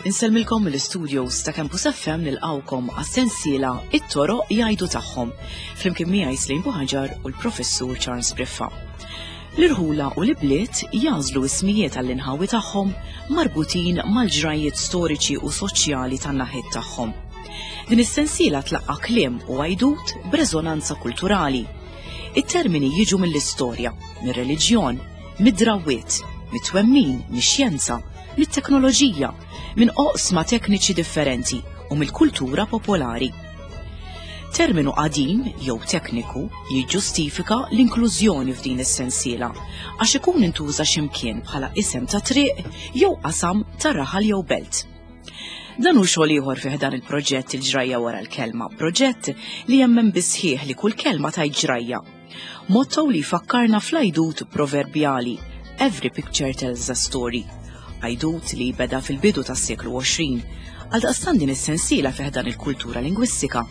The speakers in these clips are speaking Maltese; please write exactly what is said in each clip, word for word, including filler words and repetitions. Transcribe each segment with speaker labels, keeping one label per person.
Speaker 1: Insellmilkom mill-studios ta' Campus F M, nilqawkom għas-sensiela It-Toroq Jgħidu Tagħhom, flimkien miegħi Slim Buħaġar u l-Professur Charles Briffa. L-irħula u l-bliet jagħżlu ismijiet għall-inħawi tagħhom marbutin mal-ġrajiet storiċi u soċjali tan-naħiet tagħhom. Din is-sensiela tlaqqa kliem u għajdut b'reżonanza kulturali. It-termini jiġu mill-istorja, mir-reliġjon, mid-drawwiet, mit-twemmin, mix-xjenza, mit-teknoloġija, minn oqsma tekniċi differenti u mill-kultura popolari. Terminu qadim jew tekniku jiġġustifika l-inklużjoni f'din is-sensiela għax ikun intuża x'imkien bħala isem ta' triq jew qasam ta' raħal jew belt. Dan hu xogħol ieħor fih dan il-proġett Il-Ġrajja Wara l-Kelma, proġett li jemmen bisħieħ li kull kelma ta' ġrajja. Motto li fakkarna fl-għajdut proverbjali "Every picture tells a story". Għajdut li beda fil-bidu tas-seklu għoxrin. Għaldaqstant din is-sensiela fih dan il-kultura lingwistika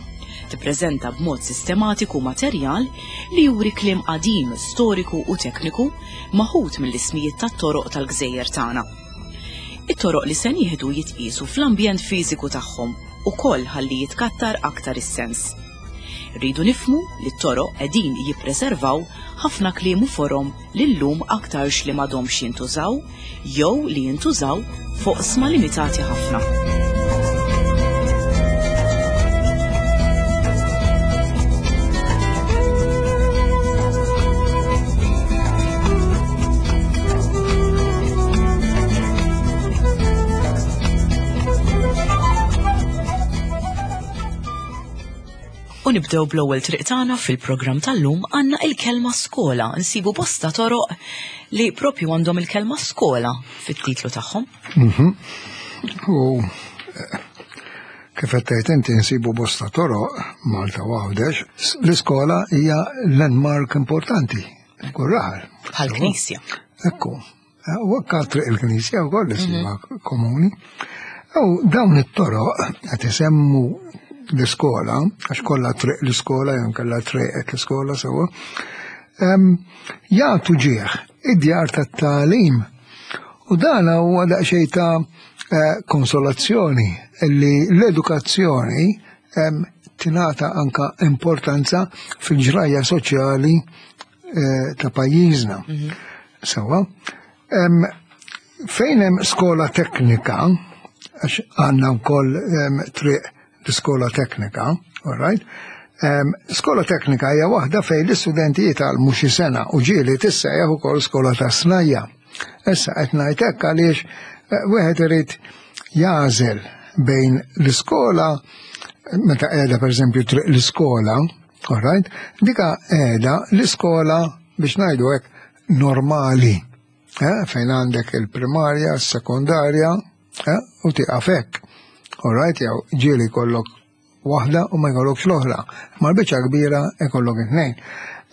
Speaker 1: tippreżenta b'mod sistematiku materjal li juri kliem qadim, storiku u tekniku maħut mill-ismijiet tat-toroq tal-gżejjer tagħna. It-toroq li se nieħdu jitqisu fl-ambjent fiżiku tagħhom ukoll ħalli jitkattar aktar is-sens. Rridu nifhmu li t-toroq qegħdin jippreservaw ħafna kliem u forom li llum aktarx li m'għadhomx jintużaw jew li jintużaw f'oqsma limitati ħafna. U nibdew bl-ewwel triq tagħna fil-programm tal-lum. Għandna il-kelma skola. Nsibu bosta toroq li propju għandhom il-kelma skola fit-titlu tagħhom.
Speaker 2: Mhm. U eh, kif qed tgħid inti, nsibu bosta toroq Malta u Għawdex, l-iskola hija landmark importanti kull raħal.
Speaker 1: Bħal knisja.
Speaker 2: Ekku. U anka triq il-knisja wkoll isibha komuni. U dawn it-toroq qed isemmu l-iskola, għax kollha triq l-iskola, jew kellha triq l-iskola sewwa, jagħtu ġieħ id-djar tat-tagħlim. U dan huwa daqsxejn ta' eh, konsolazzjoni li l-edukazzjoni tingħata anka importanza fil-ġrajja soċjali eh, ta' pajjiżna. Mhm. Sewwa, fejn hemm skola teknika, għax għandna wkoll triq l-iskola teknika, all right? Um, skola teknika hija waħda fejn l-istudenti jitgħallmu xi sena u ġieli tissejjaħ ukoll skola ta' snajja. Issa qed ngħid hekk għaliex eh, wieħed irid jagħżel bejn l-iskola, meta qiegħda pereżempju triq l-iskola, all right? Dika qiegħda l-iskola, biex ngħidu hekk, normali, eh, fejn għandek il-primarja, s-sekondarja, eh, u tieqaf hekk. All right, jew ġieli jkollok waħda u ma jkollokx l-oħra. Ma l-biċċa kbira jkollok it-tnejn.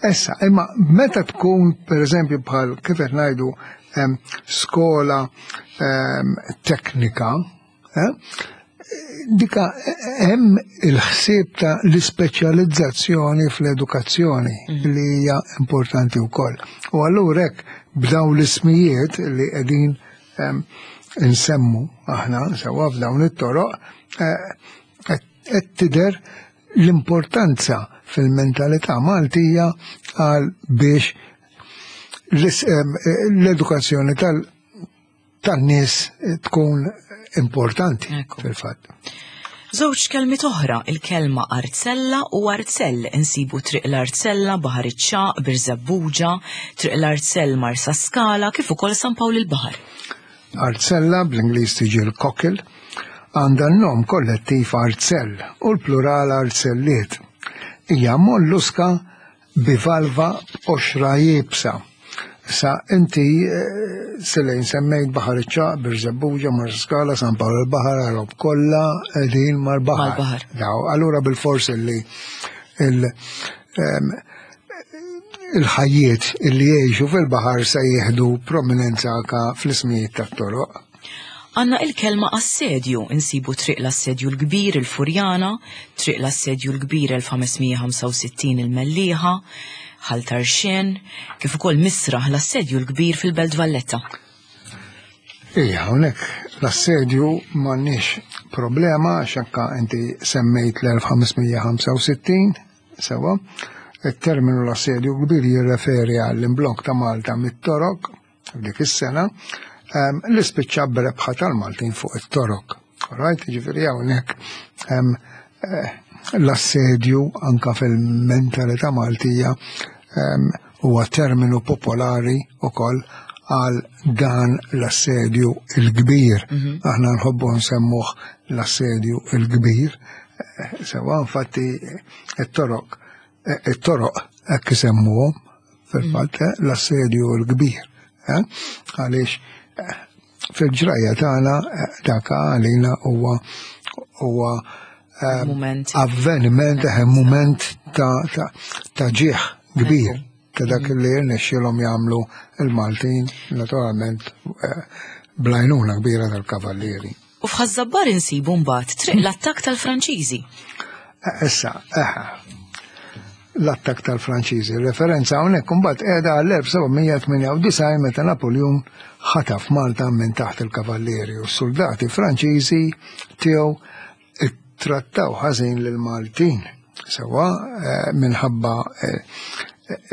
Speaker 2: Issa, imma meta tkun, per eżempju, bħal kif qed ngħidu skola teknika, eh, dika hemm il-ħsieb ta' l-ispeċjalizzazzjoni fl-edukazzjoni mm. li hija importanti wkoll. U allura hekk b'dawn l-ismijiet li qegħdin nsemmu aħna sewwa f'dawn it-toroq, eh, qed tidher l-importanza fil-mentalità Maltija għal biex l-edukazzjoni tan-nies tkun importanti fil-fatt.
Speaker 1: Żewġ kelmiet oħra, il-kelma arzella u arzell. Insibu Triq l-Arzella, Baħar iċ-Ċagħaq, Birżebbuġa, Triq l-Arzell, Marsa Skala, kif ukoll San Pawl il-Baħar.
Speaker 2: Arzella, bl-Ingliż tiġi l-cockle, għandha n-nom kollettiv arzell u l-plural arzelliet. Hija molluska bivalva b'qoxra iebsa. Sa inti eh, Selejn semmejt Baħar iċ-Ċagħaq, Birżebbuġa, Marsaskala, San Pawl il-Baħar, għarob kollha qegħdin mal-baħar.
Speaker 1: Mal-baħar.
Speaker 2: Daw, allura bil-fors li il- em, il-ħajjiet illi jgħixu fil-baħar se jieħdu prominenza anka fl-ismijiet tat-toroq.
Speaker 1: Għanna il-kelma assedju, insibu Triq l-Assedju l-Kbir il-Furjana, Triq l-Assedju l-Kbir elf ħames mija u ħamsa u sittin il-Mellieħa, Ħal Tarxien, kif ukoll Misraħ l-Assedju l-Kbir fil-Belt Valletta.
Speaker 2: Ija, hawnhekk l-assedju m'għandniex problema, għax anka inti semmejt l-elf ħames mija u ħamsa u sittin, sewa. Il-terminu l-assedju kbir jirreferi għall-imblokk ta' Malta mit-Torok f'dik is-sena, em, li spiċċa b'rebħa tal-Maltin fuq it-Torok. Right? Ġifieri hawnhekk em, eh, l-assedju anka fil-mentalità Maltija em, huwa terminu popolari ukoll għal dan l-assedju il-kbir. Aħna nħobbu nsemmuh l-assedju il-kbir. Eh, Sewa, infatti, it-torok, eh, it-toroq hekk isemmuhom fil-fatt eh, l-assedju il-kbir. eh? Għaliex eh, fil-ġrajja tagħna eh, dak għalina huwa huwa eh,
Speaker 1: Moment.
Speaker 2: avveniment, eh, moment ta' ta' ta' ġieħ kbir ta' dak li rnexxielhom jagħmlu il-Maltin, naturalment eh, bl-għajnuna kbira tal-kavallieri.
Speaker 1: U f'Ħaż-Żabbar insibu mbagħad Triq l-Attakk tal-Franċiżi.
Speaker 2: Eh, Issa, eh, l-attak tal-Franċiżi. Referenza hawnhekk imbagħad qiegħda għall-elf seba' mija u tmienja u disgħin meta Napoleon ħataf Malta minn taħt il-kavallieri u s-soldati Franċiżi tiegħu ittrattaw ħażin lil Maltin. Sewa eh, minħabba eh,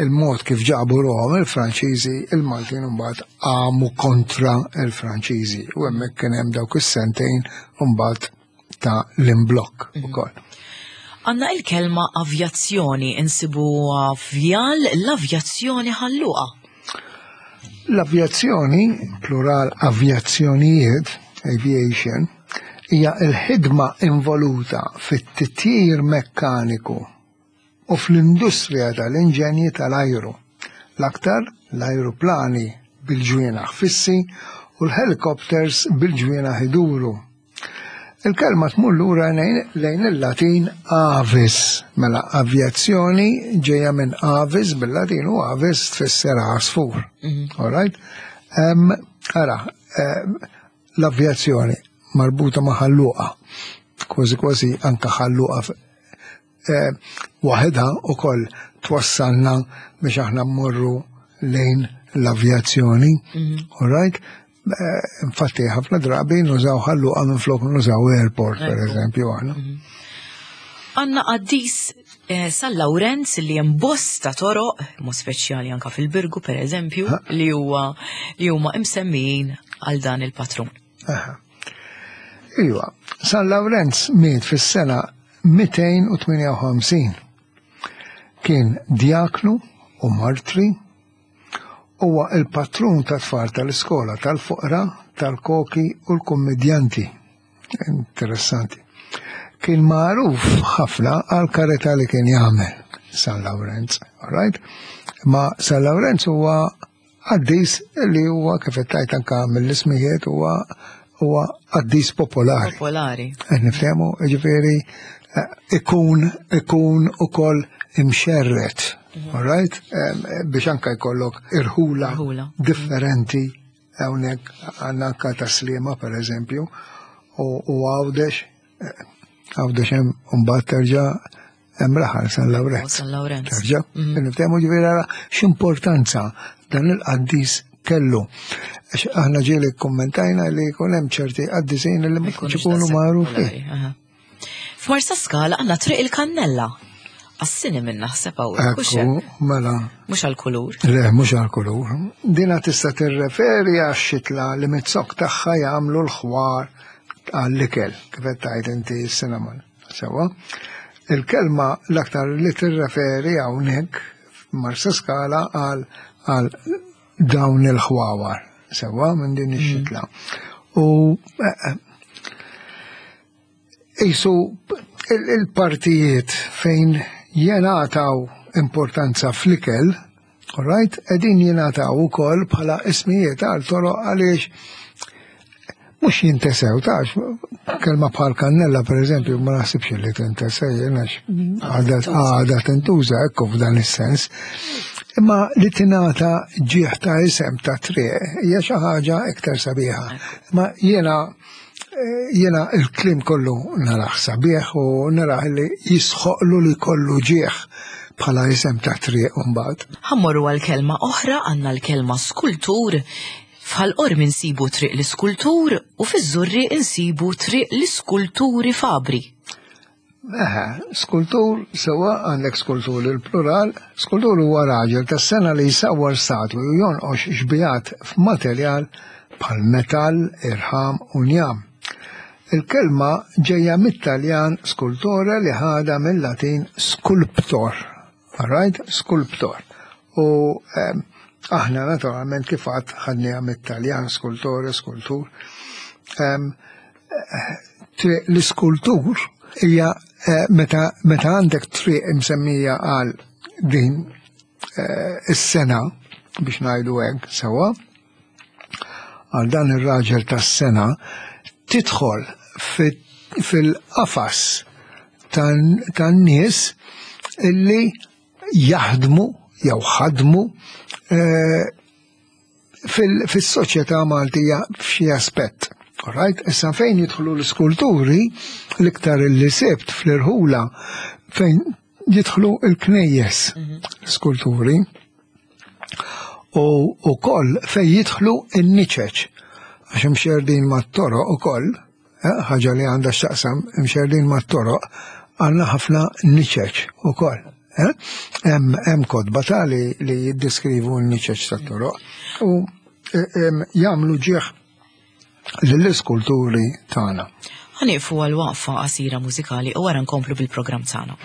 Speaker 2: il-mod kif ġabu ruħhom il-Franċiżi, il-Maltin mbagħad qamu kontra il-Franċiżi u hemmhekk kien hemm dawk is-sentejn mbagħad ta' l-imblokk ukoll.
Speaker 1: Għanna il-kelma avjazzjoni, insibu Vjal l-Avjazzjoni Ħal Luqa.
Speaker 2: L-avjazzjoni, plural avjazzjonijiet, aviation, hija l-ħidma involuta fit-titjir mekkaniku u fl-industrija tal-inġenji tal-ajru. L-aktar l-ajruplani bil-ġwienaħ fissi u l-helikopters bil-ġwienaħ iduru. Il-kelma tmur lura lejn lejn il-Latin avis, mela avjazzjoni ġejja minn avis bil-Latin u avis tfisser għasfur. All right? Um, ara, em, l-avjazzjoni marbuta ma' Ħal Luqa, kważi kważi anka Ħal Luqa f- eh, waħedha ukoll twassalna biex aħna mmorru lejn l-avjazzjoni. All right? Eh, Infatti, ħafna drabi nużaw Ħal Luqa minn flok nużaw airport, per
Speaker 1: Ekku.
Speaker 2: eżempju, aħna.
Speaker 1: Għanna qaddis eh, San Lawrenz li hemm bosta toroq, mod speċjali anka fil-Birgu per eżempju, li huwa li huma imsemmijin għal dan il-patrun.
Speaker 2: Aha. Iwa, San Lawrenz miet fis-sena mitejn u tmienja u ħamsin. Kien diaknu u martri, huwa il-patrun ta' tfal tal-iskola tal-fuqra, tal-koki u l-kommedjanti. Interessanti. Kien magħruf ħafna għal karità li kien jagħmel San Lawrenz, all right? Ma San Lawrenz huwa qaddis li huwa, kif qed tgħid anka mill-ismijiet, huwa huwa qaddis popolari.
Speaker 1: Popolari.
Speaker 2: Qed niftehmu, ġifieri eh, ikun ikun ukoll imxerret, all right? Em, Biex anka jkollok irħula
Speaker 1: Irħula.
Speaker 2: differenti, hawnhekk għandna anka Tas-Sliema, per eżempju, u u Għawdex, eh, Għawdex hemm mbagħad terġa' hemm raħal San Lawrenz.
Speaker 1: San Lawrenz.
Speaker 2: Terġa', niftehmu, ġifieri ara x'importanza dan il-qaddis kellu. Għax aħna ġieli kommentajna li jkun hemm ċerti qaddisin li ma jkunx ikunu
Speaker 1: daqshekk
Speaker 2: magħrufin.
Speaker 1: popolari, aha. F'Marsa Skala għandna Triq il-Kannella. Għas-cinnamon naħseb hawnhekk, hux
Speaker 2: Ekku,
Speaker 1: hekk?
Speaker 2: Mela,
Speaker 1: Mhux għal-kulur.
Speaker 2: Le, mhux għal-kulur. Dina tista' tirreferi għax-xitla li miz-zokk tagħha jagħmlu l-ħwar għall-ikel, kif qed tgħid inti s-cinnamon. Sewa. Il-kelma l-aktar li tirreferi hawnhekk f'Marsa Skala għal għal dawn il-ħwawar, sewa, minn din ix-xitla. U eh, Isu il-partijiet fejn jenataw importanza fl-ikel, all right, edin jenataw ukoll bħala ismijiet għal toroq għaliex mhux jintesew, tax kelma bħal kannella, per eżempju, ma naħsibx li tintesew, għax għadha għadha tintuża, ekku, f'dan is-sens. Imma li tingħata ġieħ ta' isem ta' triq hija xi ħaġa iktar sabiħa. Ma jiena jiena il-kliem kollu naraħ sabiħ u naraħ li jisħoqlu li kollu ġieħ bħala isem ta' triq mbagħad.
Speaker 1: Ħa mmorru għal kelma oħra, għandna l-kelma skultur. F'Ħal Qormi nsibu Triq l-Iskultur u fiż-Żurrieq insibu Triq l-Iskulturi Fabri.
Speaker 2: Eħe, skultur, sewa għandek skultur il-plural, skultur huwa raġel tas-sengħa li jsawwar statwi u jonqox xbihat f'materjal bħal metall, irħam u njam. Il-kelma ġejja mit-Taljan scultore li ħada mill-Latin sculptor. Alright? Sculptor. U eh, aħna naturalment kif għad ħadniha mit-Taljan scultore, skultur. Um, l-iskultur hija eh, meta meta għandek triq imsemmija għal din eh, is-sengħa biex ngħidu hekk sewa għal dan ir-raġel tas-sengħa tidħol fil-qafas tan-nies illi jaħdmu jew ħadmu eh, fis-soċjetà Maltija f'xi aspett. Alright? Issa fejn jidħlu l-iskulturi, l-iktar li sibt fl-irħula fejn jidħlu l-knejjes l-iskulturi u ukoll fejn jidħlu n-niċeċ għax imxerdin mat-toroq ukoll, eh, ħaġa li għandha x'taqsam imxerdin mat-toroq għandna ħafna niċeċ ukoll. Eh? Hemm hemm kotba ta' li, li jiddiskrivu n-niċeċ tat-toroq u eh, em, jagħmlu ġieħ lill-iskulturi tagħna.
Speaker 1: Ħa nieqfu għal waqfa qasira mużikali u wara nkomplu bil-programm tagħna.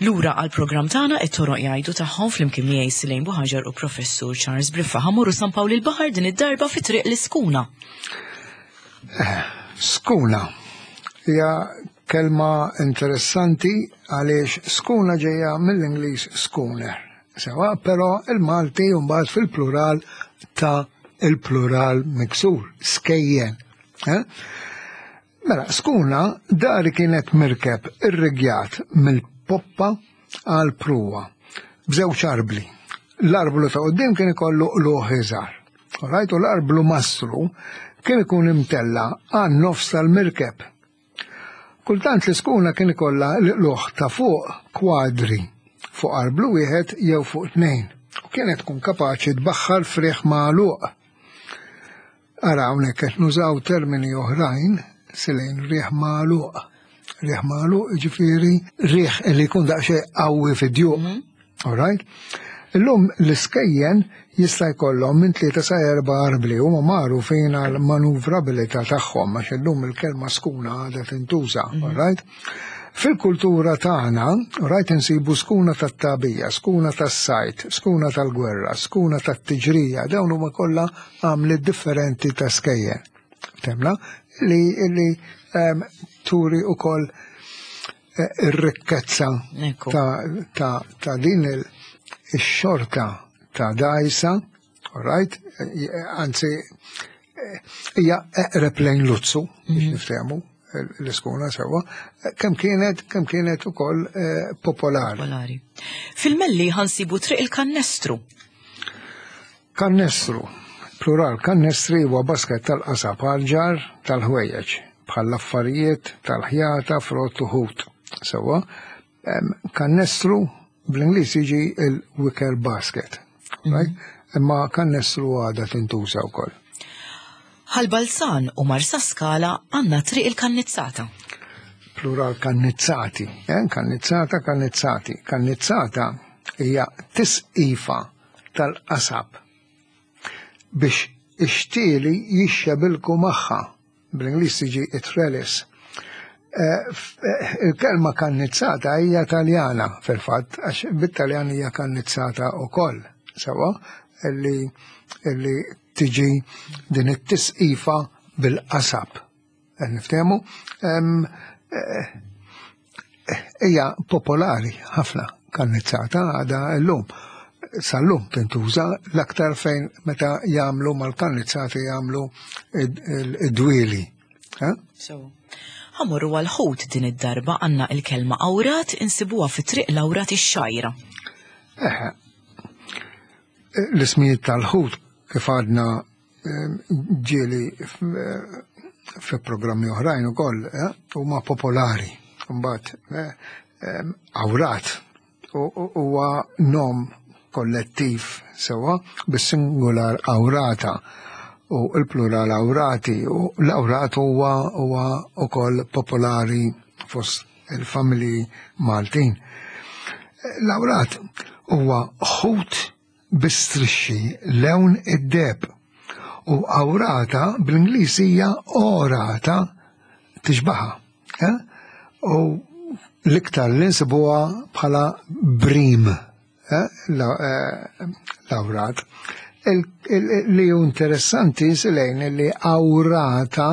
Speaker 1: Lura għal programm tagħna it-toroq jgħidu tagħhom flimkien miegħi Silejn Buħaġar u Professur Charles Briffa ħa mmorru San Pawl il-Baħar din id-darba fi triq l-Iskuna.
Speaker 2: Skuna hija kelma interessanti għaliex skuna ġejja mill-Ingliż schooner. Sewa, però il-Malti mbagħad fil-plural ta' il-plural miksur, skejjen. Eh? Mela, skuna dari kienet mirkeb irrigjat mill-poppa għal pruwa b'żewġ arbli. L-arblu ta' quddiem kien ikollu qluħ iżgħar. Alright, u l-arblu mastru kien ikun imtella għan nofs tal-mirkeb. Kultant l-iskuna kien ikollha l-qluħ ta' fuq kwadri fuq arblu wieħed jew fuq tnejn u kienet tkun kapaċi tbaħħar friħ magħluq. Ara hawnhekk qed nużaw termini oħrajn silejn riħ magħluq. Riħ magħluq ġifieri riħ li jkun daqsxejn qawwi fid-djuq. All right? Illum l-iskejjen jista' jkollhom minn tlieta sa erba' arbli huma magħrufin għal manuvrabilità tagħhom għax illum il-kelma skuna għadha tintuża, all right? Fil-kultura tagħna, rajt insibu skuna tat-tagħbija, skuna tas-sajt, skuna tal-gwerra, skuna tat-tiġrija, dawn huma kollha għamliet differenti ta' skejjen. Temla li li um, turi ukoll eh, ir-rikkezza
Speaker 1: Ekku.
Speaker 2: ta', ta, ta' din il-xorta ta' dajsa, all right? Eh, anzi, eh, hija eqreb lejn luzzu, biex niftehmu l-iskuna sewa, kemm kienet kemm kienet ukoll eh, popolari.
Speaker 1: Popolari. Fil-Melli ħa nsibu triq il-Kannestru.
Speaker 2: Kannestru, plural kannestri huwa basket tal-qasab għal-ġar tal-ħwejjeġ, bħal affarijiet tal-ħjata, frott u ħut. Sewa, em, kannestru bl-Ingliż jiġi il-wicker basket, right? Imma kannestru għadha tintuża wkoll.
Speaker 1: Ħal Balzan u Marsaskala għandna triq il-Kannizzata.
Speaker 2: Plural kannizzati, eh? Kannizzata, kannizzati. Kannizzata hija tisqifa tal-qasab biex ix-xtieli jixxebilku magħha. Bl-Ingliż tiġi trellis. Eh, f- eh, Il-kelma kannizzata hija Taljana fil-fatt, għax bit-Taljan hija kannizzata wkoll, sewa, illi illi tiġi din it-tisqifa bil-qasab. Eh, Niftehmu, Em, eh, hija popolari ħafna kannizzata għadha llum. Sal-lum tintuża l-aktar fejn meta jagħmlu mal-kannizzati jagħmlu id-dwieli. Eh?
Speaker 1: So. Ħa mmorru għal-ħut din id-darba għandna il-kelma awrat insibuha fi triq l-Awrat ix-Xgħajra.
Speaker 2: Eħe. L-ismijiet tal-ħut kif għadna em, ġieli f- fi programmi oħrajn ukoll eh, huma popolari. Mbagħad eh, em, awrat u- u- huwa nom kollettiv sewa bis-singular awrata u l-plural awrati u l-awrat huwa huwa ukoll popolari fost il-familji Maltin. L-awrat huwa ħut bi strixxi lewn id-deheb u awrata bl-Ingliż hija orata tixbaha. Eh? U l-iktar li nsibuha bħala brim, eh? la- eh, l-awrat. Il- il- Li hu interessanti silejn li awrata,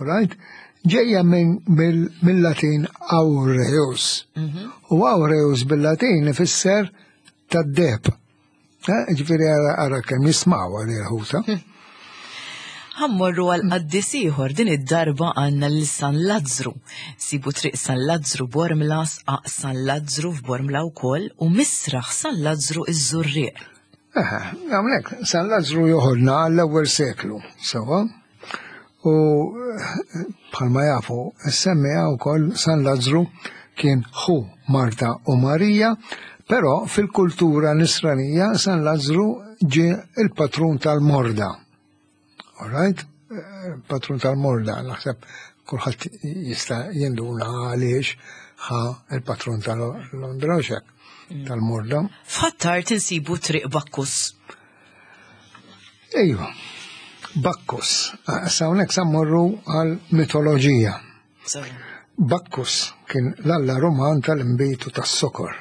Speaker 2: right, ġejja minn mill- mill-Latin aureus. U aureus bil-Latin ifisser tad-deheb. Eh, Ġifieri ara ara kemm jismaw għal il-ħuta.
Speaker 1: Ħa mmorru għal qaddis ieħor din id-darba għandna lil San Lazzru. Sibu triq San Lazzru Bormla, Sqaq San Lazzru f'Bormla wkoll u Misraħ San Lazzru iż-Żurrieq.
Speaker 2: Eħe, hawnhekk San Lazzru joħodna għall-ewwel seklu, sewa. U eh, bħalma jafu, semmija wkoll San Lazzru kien ħu Marta u Marija, però fil-kultura nisranija San Lazzru ġie il-patrun tal-morda. All right? Eh, Patrun tal-morda, naħseb kulħadd jista' jinduna għaliex ħa il-patrun tal-Londra u xek, tal-morda.
Speaker 1: F'Ħ'Attard insibu triq Bakkus.
Speaker 2: Ejwa, Bakkus. Sa hawnhekk sa mmorru għal mitoloġija. Bakkus kien l-alla Roman tal-inbid u tas-sokor.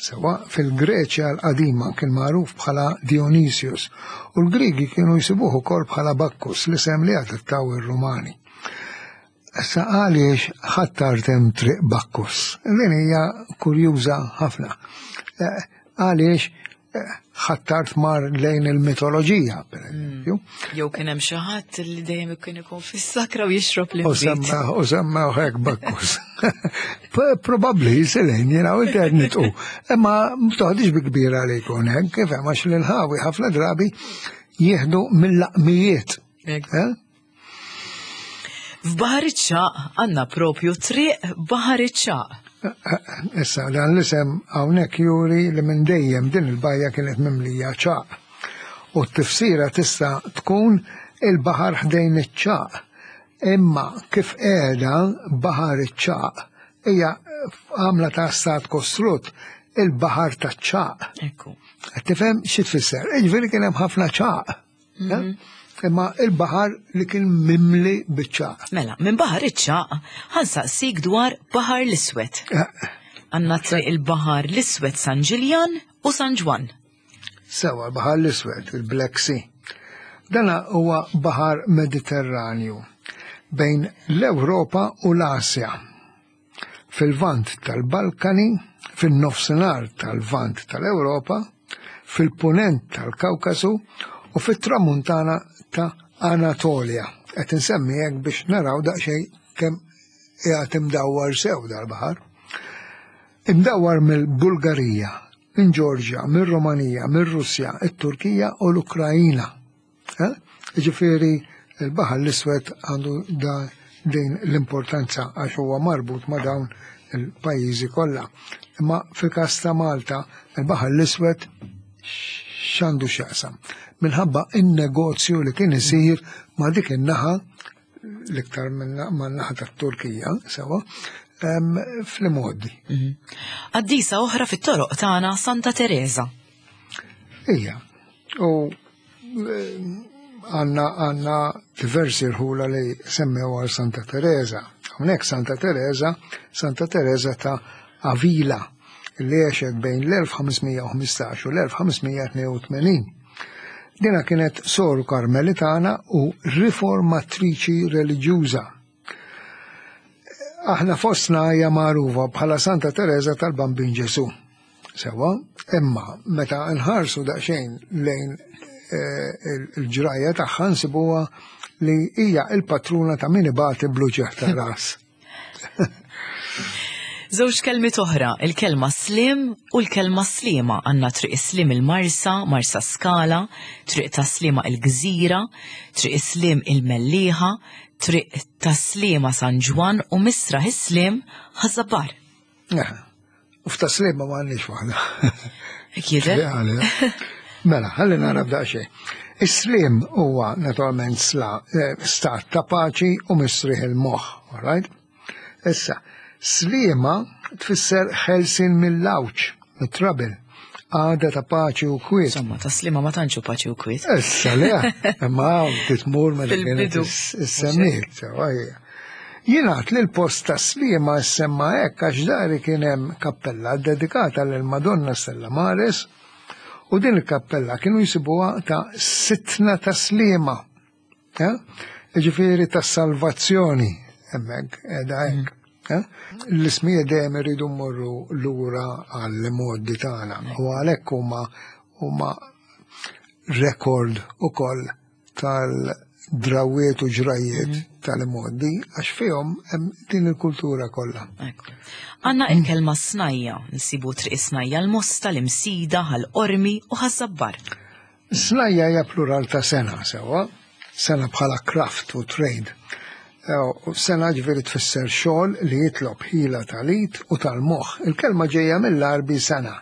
Speaker 2: Sewa fil-Greċja l-qadima kien magħruf bħala Dionysius u l-Grigi kienu jsibuh ukoll bħala Bakkus, l-isem li adottaw ir-Rumani. Issa għaliex Ħ'Attard hemm triq Bakkus? Din hija kurjuża ħafna. Eh, għaliex eh, Ħ'Attard mar lejn il-mitoloġija, per eżempju.
Speaker 1: Jew kien hemm xi ħadd li dejjem kien ikun fis-sakra u jixrob
Speaker 2: U
Speaker 1: l-inbid.
Speaker 2: semma u semma hekk Bakkus. Probabbli Selene, jiena u internetu. Imma toħdix bi kbira li jkun hekk, kif hemm għax l-inħawi ħafna drabi jieħdu mill-laqmijiet.
Speaker 1: Hekk.
Speaker 2: Eh?
Speaker 1: F'Baħar iċ-Ċagħaq għandna propju triq Baħar iċ-Ċagħaq.
Speaker 2: Issa, dan l-isem hawnhekk juri li minn dejjem din il-bajja kienet mimlija ċagħaq. U t-tifsira tista' tkun il-baħar ħdejn iċ-ċagħaq. Imma kif qiegħda Baħar iċ-Ċagħaq hija għamla ta' stat kostrut il-baħar ta' ċagħaq.
Speaker 1: Ekku.
Speaker 2: Qed tifhem xi tfisser? Jiġifieri kien hemm ħafna ċagħaq. Eh? Imma il-baħar li kien mimli biċ-ċagħaq.
Speaker 1: Mela, minn Baħar iċ-Ċagħaq ħa nsaqsik dwar Baħar l-Iswed. Għandna triq il-Baħar l-Iswed San Ġiljan u San Ġwann.
Speaker 2: Sewa, l-Baħar l-Iswed, il-Black Sea. Dana huwa baħar Mediterranju bejn l-Ewropa u l-Asja. Fil-vant tal-Balkani, fil-nofsinhar tal-vant tal-Ewropa, fil-punent tal-Kawkasu u fit-tramuntana ta' Anatolia. Qed insemmi hekk biex naraw daqsxejn kemm qiegħed imdawwar sew dal-baħar. Imdawwar mill-Bulgarija, minn Ġorġja, mill-Romanija, mill-Russja, it-Turkija u l-Ukrajina. Eh? Ġifieri il-Baħar l-Iswed għandu da din l-importanza għax huwa marbut ma' dawn il-pajjiżi kollha. Imma fil-każ ta' Malta, il-Baħar l-Iswed x'għandu x'jaqsam? Minħabba in-negozju li kien isir ma' dik in-naħa l-iktar ma' naħa tat-Turkija, sewa, em, fl-imgħoddi.
Speaker 1: Qaddisa oħra fit-toroq tagħna Santa Teresa.
Speaker 2: Ija, u eh, għandna għandna diversi rħula li semmew għal Santa Teresa. Hawnhekk Santa Teresa, Santa Teresa ta' Avila, li għexet bejn l-elf ħames mija u ħmistax u l-elf ħames mija tnejn u tmenin. Dina kienet soru karmelitana u riformatriċi reliġjuża. Aħna fostna hija magħrufa bħala Santa Teresa tal-Bambin Ġesu. Sewa, imma meta nħarsu daqsxejn lejn eh, il-ġrajja tagħha nsibuha li hija il-patruna ta' min ibati bl-uġigħ ta' ras.
Speaker 1: Żewġ kelmiet oħra, il-kelma slim u l-kelma Sliema. Għandna triq Slim il-Marsa, Marsa Skala, triq ta' Sliema il-Gżira, triq Slim il-Mellieħa, triq ta' Sliema San Ġwann u Misraħ is-Sliem Ħaż-Żabbar.
Speaker 2: Eh, U f'ta' Sliema ma għandniex waħda.
Speaker 1: Hekk jidher?
Speaker 2: Mela, ħalli nara b'daqsxejn. Is-slim huwa naturalment sla, eh, stat ta' paċi u mistrieħ il-moħħ, all right? Issa, Sliema tfisser ħelsin mill-għawġ, mit-trouble, għada ta' paċi u kwiet.
Speaker 1: Insomma, ta' Sliema ma tantx hu paċi u kwiet.
Speaker 2: Issa le, imma hawn titmur meta kienet
Speaker 1: Fil-bidu.
Speaker 2: is-semmiet, sewa hija. Jingħad li l-post ta' Sliema semma hekk għax dari kien hemm kappella dedikata lil Madonna Stella Maris u din il-kappella kienu jsibuha ta' sitna ta' Sliema. Eh? Ġifieri ta' salvazzjoni hemmhekk qiegħda hekk. Eh? L-ismijiet dejjem iridu mmorru lura għall-modi tagħna u għalhekk huma huma rekord ukoll tal-drawiet u ġrajiet tal-modi għax fihom hemm din il-kultura kollha.
Speaker 1: Ekku. Għandna il-kelma snajja, nsibu triq Snajja l-Mosta, l-Imsida, Ħal Qormi u Ħaż-Żabbar.
Speaker 2: Snajja hija plural ta' sengħa sewa, sengħa bħala craft u trade. Eh, u Sengħa ġifieri tfisser xogħol li jitlob ħila tal-id u tal-moħħ. Il-kelma ġejja mill-Arbi sengħa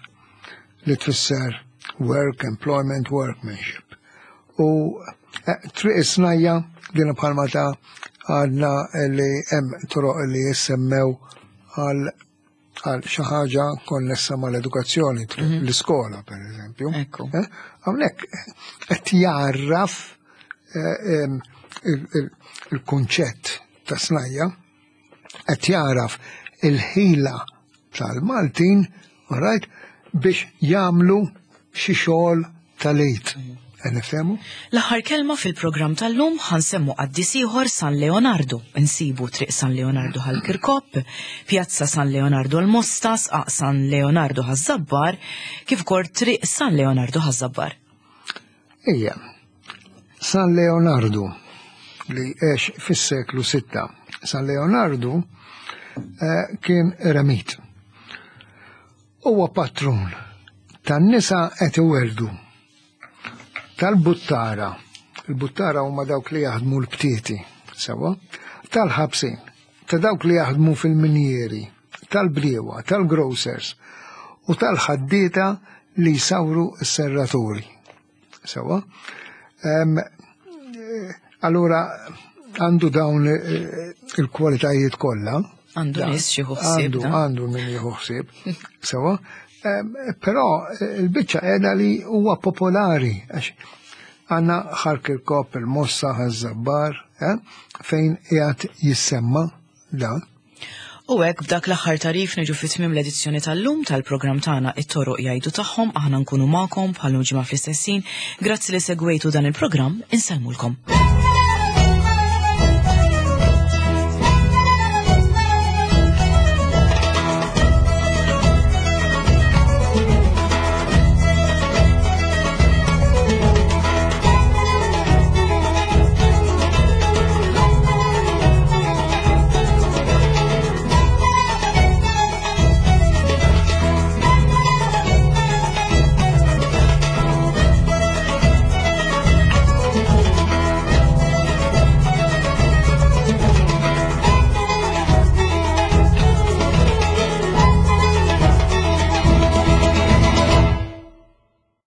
Speaker 2: li tfisser work, employment, workmanship. U eh, triq snajja din bħalma ta' għadna li hemm toroq li jissemmew għal għal xi ħaġa konnessa mal-edukazzjoni, triq l-iskola per eżempju.
Speaker 1: Ekku.
Speaker 2: Eh, Hawnhekk qed jarraf eh, em, il- il- il-kunċett ta' snajja, qed jaraf il-ħila tal-Maltin, right, biex jagħmlu xi xogħol tal-id. Nifhemu?
Speaker 1: L-aħħar kelma fil-programm tal-lum ħa nsemmu qaddis ieħor, San Leonardo. Insibu Triq San Leonardo Ħal Kirkop, Pjazza San Leonardo l-Mosta, Sqaq San Leonardo Ħaż-Żabbar, kif ukoll Triq San Leonardo Ħaż-Żabbar.
Speaker 2: Ija, San Leonardo li għex fis-seklu sitta. San Leonardo eh, kien eremit. Huwa patrun tan-nisa qed iweldu, tal-buttara, il-buttara huma dawk li jaħdmu l-btieti, sewa, tal-ħabsin, ta' dawk li jaħdmu fil-minjeri, tal-briewa, tal-grocers u tal-ħaddieta li jsawru s-serraturi. Sewa. Em, eh, Allura għandu dawn eh, il-kwalitajiet kollha.
Speaker 1: Għandu
Speaker 2: Da,
Speaker 1: nies xi ħsieb,
Speaker 2: Għandu,
Speaker 1: da.
Speaker 2: għandu min jieħu ħsieb. Sewa. Em, Però eh, il-biċċa qiegħda li huwa popolari għax għandna Ħal Kirkop, il-Mosta, Ħaż-Żabbar, eh, fejn qiegħed jissemma dan.
Speaker 1: U hekk b'dak l-aħħar tagħrif niġu fi tmiem l-edizzjoni tal-lum tal-programm tagħna It-Toroq Jgħidu Tagħhom. Aħna nkunu magħkom bħal ġimgħa fl-istess ħin. Grazzi li segwejtu dan il-programm, insellmulkom.